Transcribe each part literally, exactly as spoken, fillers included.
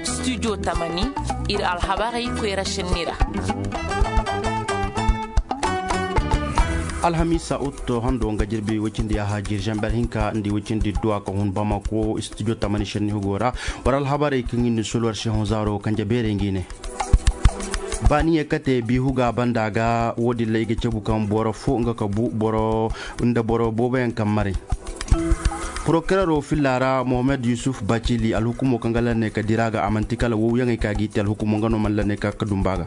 Studio tamani, ir alhabarey koyra šenni ra. Alhamiisa otto hando nga jirbi woy cindi yaaha jir zamber hinka nda woy cindi duwa ka hun bamako studio tamani šenni hugo ra. War alhabarey kaŋ ir na sulu war se hõ zaaro kanje beerey ngi ne. Baaniye kate biihu ga banda ga wo- din ra i ga cabu kaŋ boro fo nga ka bu boro nda boro booboyaŋ kaŋ maray. Porokerero filla ra mohammed yusuf bacili alhukumo kaŋ ga lanne ka dira ga a manti kala wowyaŋey ka g'i te alhukumo nga no mana lanne ka ga dumba ga.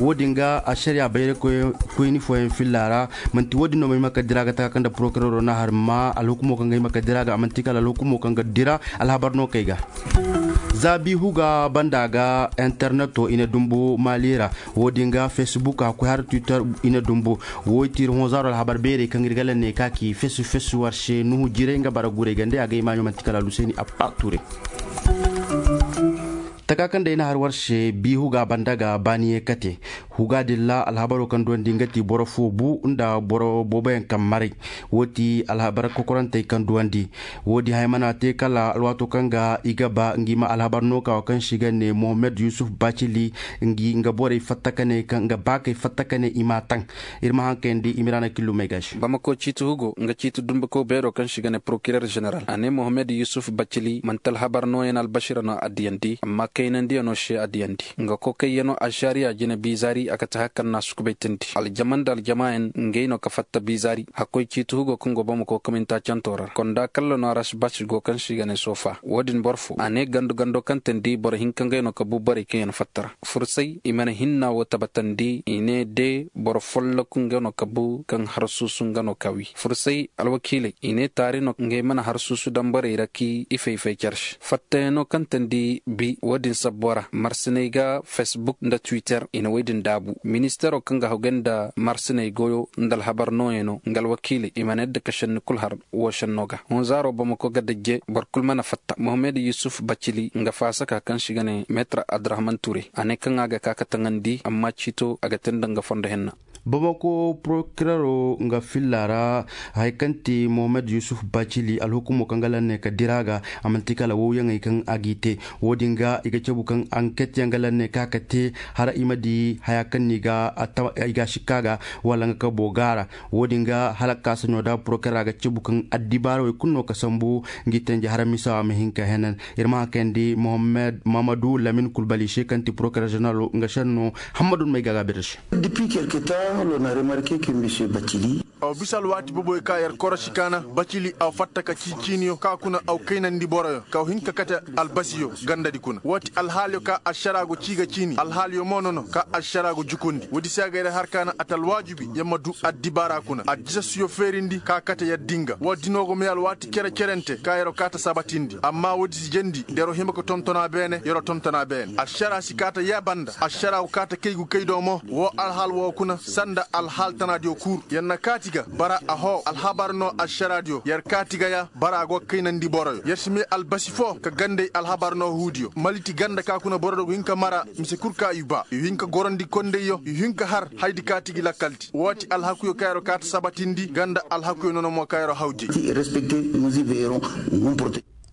Wo- din ga ašariya bayray koyni fooyaŋ filla ra. Manti wo- din no ma hima ka dira ga taka kaŋ nda porokerero na har ma alhukumo kaŋ ga hima ka dira ga a manti kala alhukumo kaŋ ga dira alhabar no kay ga. Za biihu ga banda ga interneto i na dumbu mali ra. Wo- din ga facebook a koy har twitter i na dumbu. Wo i ti ir hõ zaaro alhabar beerey kaŋ ir ga lanne ka ki fesu fesu war se nuhu jiray nga bara guray gande a ga i maaɲo manti kala aluseni appa ture. Taka kaŋ day na har war se biihu ga banda ga baaniye kate. Huga din ra alhabaro kaŋ duwandi nga ti boro fo bu nda boro booboyaŋ kaŋ maray. Wo ti alhabar kokorantey kaŋ duwandi. Wo- din haya mana te kala alwaato kaŋ ga i ga ba ngi ma alhabar nooka wo kaŋ se i ga ne mohammed yusuf bacili. Ngi nga borey fatta ka ne kaŋ nga baakey fatta ka ne i m'a taŋ. Ir ma haŋ kayandi i ma ira na killumey ga se. Bamako ciiti hugo nga ciiti dumbako beero kaŋ se i ga ne porokirer zeneral a ne mohammed yusuf bacili manti alhabar nooyaŋ albasira no a diyandi amma kaynandiyano se a diyandi. Nga kokayyano ašariya jine biizaari a ga ti haya kaŋ na a sukubaytandi aljama nda aljamaayaŋ ngey no ka fatta biizaari. Hakkoy ciiti hugo kaŋ go bamako kaminta canto ra konda kalla no aras basi go kaŋ se i ga ne soofa wo- din boro fo a ne gandu gando kaŋ teendi boro hinka ngey no ka bu borey kaŋ yaŋ fatta ra. Fursay i mana hinna wo tabatandi i ne de boro folloku nga no ka bu kaŋ harsuusu nga no ka wi fursay alwakiiley i ne taari no ngey mana harsuusu daŋ borey ra k'i fay-fay car se fattayaŋo kaŋ teendi bi wo- din sabbo ra marsiney ga facebook nda twitter i na wey din daabu ministeero kaŋ ga hawgay nda marsiney goyo nda alhabar nooyaŋo nga alwakiiley i mana yadda ka šenni kul har wo šenno ga. Hunzaaro bamako ga dajje boro kul mana fatta mohammed yusuf bacili nga faasaka kaŋ se i ga ne meetar abdurahman ture a ne kaŋ a ga ka ka taŋandi amma ciito a ga te nda nga fondo henna. Bamako porokirero nga filla ra haya kaŋ ti mohammed yusuf bacili alhukumo kaŋ ga lanne ka dira ga a man'ti kala wowyaŋey kaŋ a g'i te. Wo-din ga i ga cabu kaŋ anket yaŋ ga lanne ka ka te hala i ma di haya kaŋ no i ga a sikka ga wala nga kabo gaara. Wo-din ga hala kaasaɲo da porokirera ga cabu kaŋ addibaara wey kulu no ka sambu ngi tenje hala misa a ma hin ka henan. Ir ma haŋ kayandi mohammed mamadu lamin kulbali se kaŋ ti porokirer ženeralo nga šenno. Hammadu may ga gaabir se. Depuis quelque temps l'on a remarke que monsieur bacili. Aw bisa alwaati boboyo ka yer korosi kaana bacili aw fatta ka ciiciiniyo ka kuna aw kaynandi boroyo ka aw hin ka kate albasiyo gandadi kuna wo ti alhaaliyo ka ašara go cii ga ciini alhaaliyo mo nono ka ašara go jukundi woodi se a ga yer har kaana a ta alwaajibi yer ma du addibaara kuna addisasiyo feerindi ka kate yer din ga wo-din no go may alwaati cere-cerente ka yer'o kaa ta sabatindi amma woodi si jendi nda yer'o hima ka tonton a beene yer'o tonton a beene ašara si kaa ta yee banda ašara go kaa ta kay gu kay do mo woo alhaal woo kuna sanda alhaal tanaadiyo kul yer na kaati ga bara ahoo alhabar no ašaraadiyo yer kaati ga ya bara a go ga kaynandi boroyo yer si may albasi foo ka gandey alhabar no huudiyo maliti ganda ka kuna boroyo go hin ka mara mise kul ka i baa i hin ka gorandi kondeyyo i hin ka har hayadi kaati gi lakkaldi woo ti alhakuyo ka yer'o kaa ta sabatindi nga nda alhakuyo nono mo ka yer'o hawjay.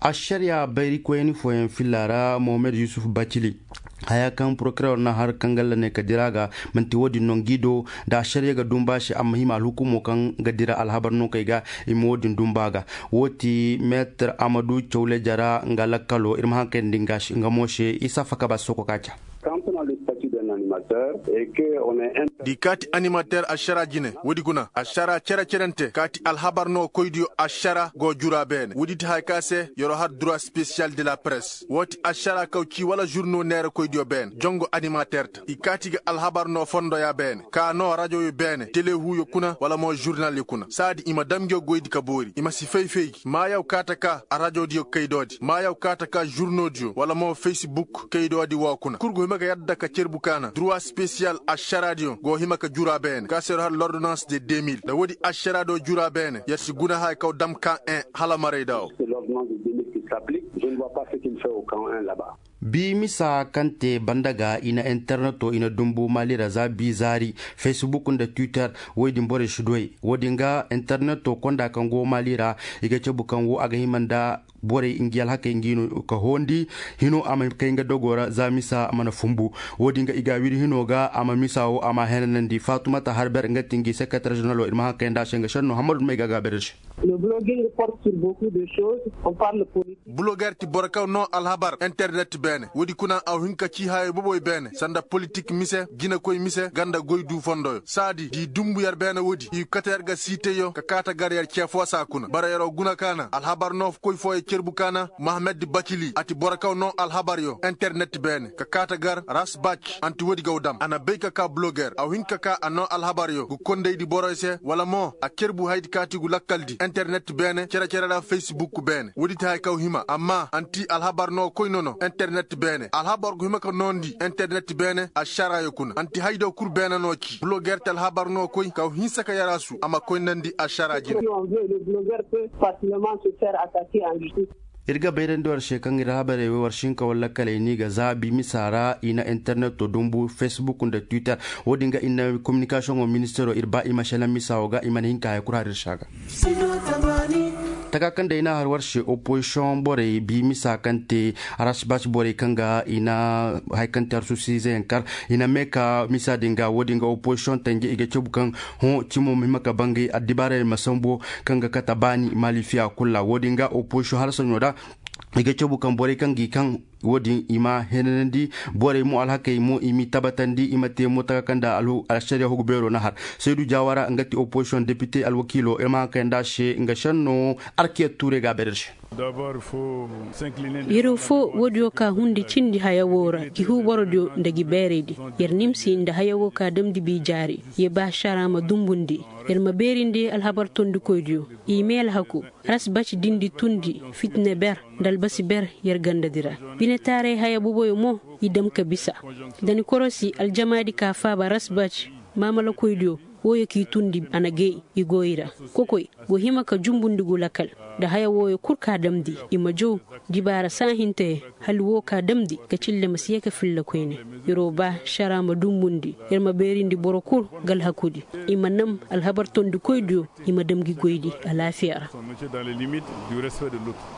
Ašariya bayrikoyani fooyaŋ filla ra mohammed yusuf bacili haya kaŋ porokirer na har kaŋ galla ne ka dira ga man'ti wo-din no ngi do nda ašariya ga dumba se a ma hima alhukumo kaŋ ga dira alhabar no kay ga i ma wo-din dumba ga. Wo ti meetar amadu cawle jara nga lakkalo ir ma haŋ kayandi nga mo se isa faka ba soko ka ca. Di kaati animater ašara jine woodi guna ašara cere-cerente kaati alhabar no koydiyo ašara go jura beene woodi ti haya ka se yer'o har droit spesiyal de la press wo ti ašara kaw cii wala žurno neerakoydiyo beene jongo animater ta i kaati ga alhabar no fondoya beene ka no rajoyo beene telehuuyo kuna wala mo žurnalyo kuna saadi i ma dam ngiyo goydi ka boori i ma si fay-fay gi maayaw kaa ta kaa arajoodiyo kaydoodi maayaw kaa ta kaa žurnoodiyo wala mo facebook kaydoodi woo kuna kul go hima ga yadda ka cerbu kaana droit spesiyal ašaraadiyo go hima ka jura beene ka se yer'o har lordonans de deux mille nda woodi ašaraadiyo jura beene yer si guna haya kaw dam ka en hala marayda woo. Bi misa kaŋ te banda ga i na interneto i na dumbu mali ra za bi zaari, facebook nda twitter. Woy din borey si duwey woy din ga interneto konda kaŋ go mali ra. I ga cabu kaŋ wo a ga hima nda borey ngi alhakey ngi no ka hoondi hino a ma kay nga dogo ra za misa a mana fumbu. Woy din ga i ga wiri hino ga a ma misa wo a ma henanandi fatumata harber nga ti ngi sekretar ženeralo ir ma haŋ kay nda a se nga senno hammadu may ga a ga berdi se. Bloger ti boro kaŋ no alhabar internet beene woodi kuna a hin ka ci hayey boboy beene sanda politik mise jinekoy mise ganda goy du fondoyo saadi di dumbu yer beene woodi i kate yer ga siiteyo ka kaata gar yer cee foosa kuna bara yeroo guna kaana alhabar no koy fooyo cerbu kaana mahamed bacili a ti boro kaŋ no alhabaryo internet beene ka kaata gar rasbac. Anti woodi gaw dam a na bay ka kaa bloger a hin ka kaa a no alhabaryo ga kondaydi boroy se wala mo a cerbu haydi kaati gu lakkaldi internet beene cere-cere ra facebook beene woodi ti haya kaw hima amma anti alhabar no koy nono internet beene alhabar go hima ka noondi internet beene ašarayo kuna anti haydo kul beene no ci bloger ti alhabar no koy kaw hinsa ka yaraasu a ma koynandi ašara jine. Ir ga bayrandi war se kaŋ ir habarey wey war sinka walla kaley ni ga zaabi misa ra i na interneto dumbu facebook nda twitter. Wo-din ga i na kominikasiyoŋo ministero ir ba i ma selaŋ misa wo ga i mana hin ka haya kul har ir se a ga. Taka kaŋ day i na har war se opozisiyoŋ borey bi misa kaŋ te rasbac borey kaŋ ga i na haya kaŋ te har susiizeyaŋ kar i na mee ka misa din ga wo-din ga opozisiyoŋ tanje i ga cabu kaŋ hõ cimo ma hima ka bangay addibaarey ma sambu kaŋ ga kate baani malifiya kul ra wo-din ga opozisiyoŋ hala saɲo ra. I ga cabu kaŋ borey kaŋ ga i kaŋ wo-din i ma henanandi borey mo alhakey mo i m'i tabatandi i ma te mo taka kaŋ nda alšariya hugu beero na har. Saydu jawara nga ti opozisiyoŋ depite alwakiilo ir ma haŋ kay nda a se nga senno. Arkiya tuure ga a bayra ir se. Yero fo woodiyo ka hundi cindi haya woo ra gi huu borodiyo nda gi beeraydi. Yer nimsi nda haya woo ka damndi bi jaari. Ye ba šara ma dumbundi. Yer ma beerindi alhabar tondikoydiyo. I mee alhaku. Rasbac dindi tundi fitina ber nda albasi ber. Yer gandadi ra binetaaray haya boboyo mo i dam ka bisa. Da ni korosi aljamaadi ka faaba rasbac maamalakoydiyo. Wooyo k'i tundi a na gay i go i ra. Kokoy go hima ka jumbundi gu lakal. Nda haya wooyo kul ka damndi i ma jaw dibaara saahintey. Hali woo ka damndi ka cille ma si ye ka filla koyne. Yeroo ba šara ma dumbundi yer ma beerindi boro kul. Ga alhakudi i ma nam alhabar tondikoydiyo. I ma dam gi goydi alaafiya ra.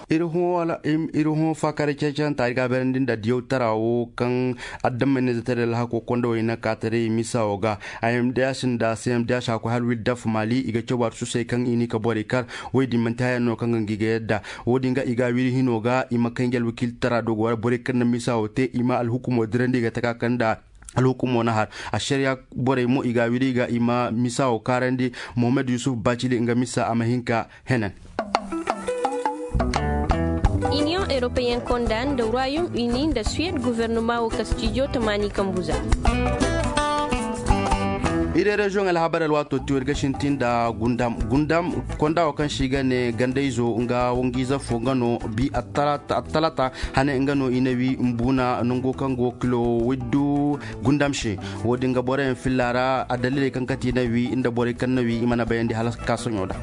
Ir hõ faakaaray ceecanta ir ga a beerandi nda diyawtara woo kaŋ adamey na zatari alhakoo kondawey na kaataray misa woo ga. Imdh nda cmdh a koy hala wirdaf maali i ga caw arsusey kaŋ i n'i ka borey kar. Woy din man'ti haya no kaŋ ga ngi ga yadda. Woodin ga i ga a wiri hino ga i ma kay ngi alwakiiltara dogo ra borey kaŋ na misa woo te i ma alhukumoo dirandi i ga taka kaŋ nda alhukumoo na har. Ašariya borey mo i ga a wiri i ga i ma misa woo kaarandi. Mohammed yusuf bacili nga misa a ma hin ka henan. Iniyoŋ europeyen konda nda royaume uni nda suwed guvernoma woo kastijo tamaani kambu za. Iri reziyoŋ alhabar alwaatoo tiyo ir ga sintin nda gundam gundam konda woo kaŋ se i ga ne gandayzo nga wangiize foo nga no bi attalata hane nga no i na wi mbuuna nango kaŋ go kilo widdu. Gundam se woodin ga boroyaŋ filla ra addaliley kaŋ kate i na wi nda borey kaŋ na wi i mana bayandi hala ka soɲo da.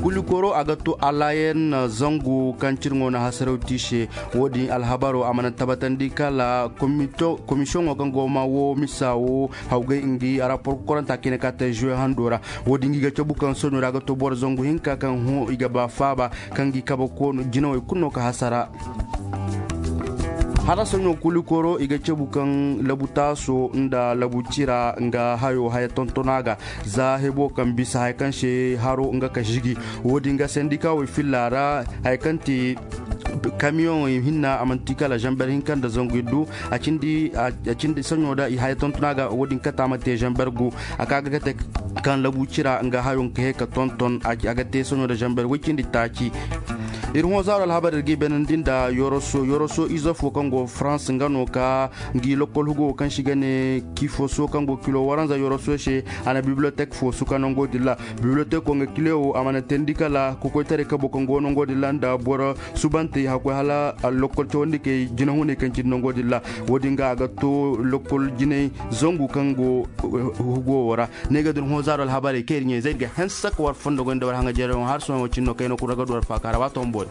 Kulikoro a ga to alayen zangu kaŋ cirŋo na hasaraw te i se. Woodin alhabaro a mana tabatandi kala komisiyoŋo kaŋ go ma woo misa woo hawgay ngi rapor kokoranta kaŋ i na ka te zuwe hando ra. Woodin ngi ga cabu kaŋ soɲo ra a ga to boro zangu hinka kaŋ hõ i ga ba faaba kaŋ ngi kabe koonu jinawey kulu no ka hasara. Hala soɲo kulikoro i ga cabu kaŋ labu taaso nda labu cira nga hayo haya tontona ga. Za hebo kaŋ bisa haya kaŋ se haro nga ka žigi. Woodin ga sendikawey filla ra haya kaŋ te kamiyoŋey hinna a man'ti kala zamber hinka nda zangu iddu. A cindi soɲo da i haya tontona ga woodin kate a ma te zamber gu. A ka ga kate kaŋ labu cira nga hayo nga ka hee ka tonton a ga te soɲo da zamber woy cindi taaci. Ir hõ zaaro alhabar ir g'i beenandi nda yoroso yoroso ize foo kaŋ go farans nga no ka ngi lokkol hugo woo kaŋ se i ga ne kifoso kaŋ go kilo waranza yoroso se. A na bibliyotek foo suka nongo din ra. Bibliyoteko nga kile woo a mana teendi kala kokoytaray kabo kaŋ go nongo din ra nda boro subantey hakkoy hala allokkol cawandikey jinahuney kaŋ cindi nongo din ra. Woodin ga a ga to lokkol jinay zangu kaŋ go hugo woo ra. Ne ga din hõ zaaro alhabarey kaŋ ir ɲaa-izey ir ga hanse ka war fondo goy nda war haŋajeerey woo har sohõ woo cindi no kaŋ ay no kul ra ga du war faaka ra waati woo boori.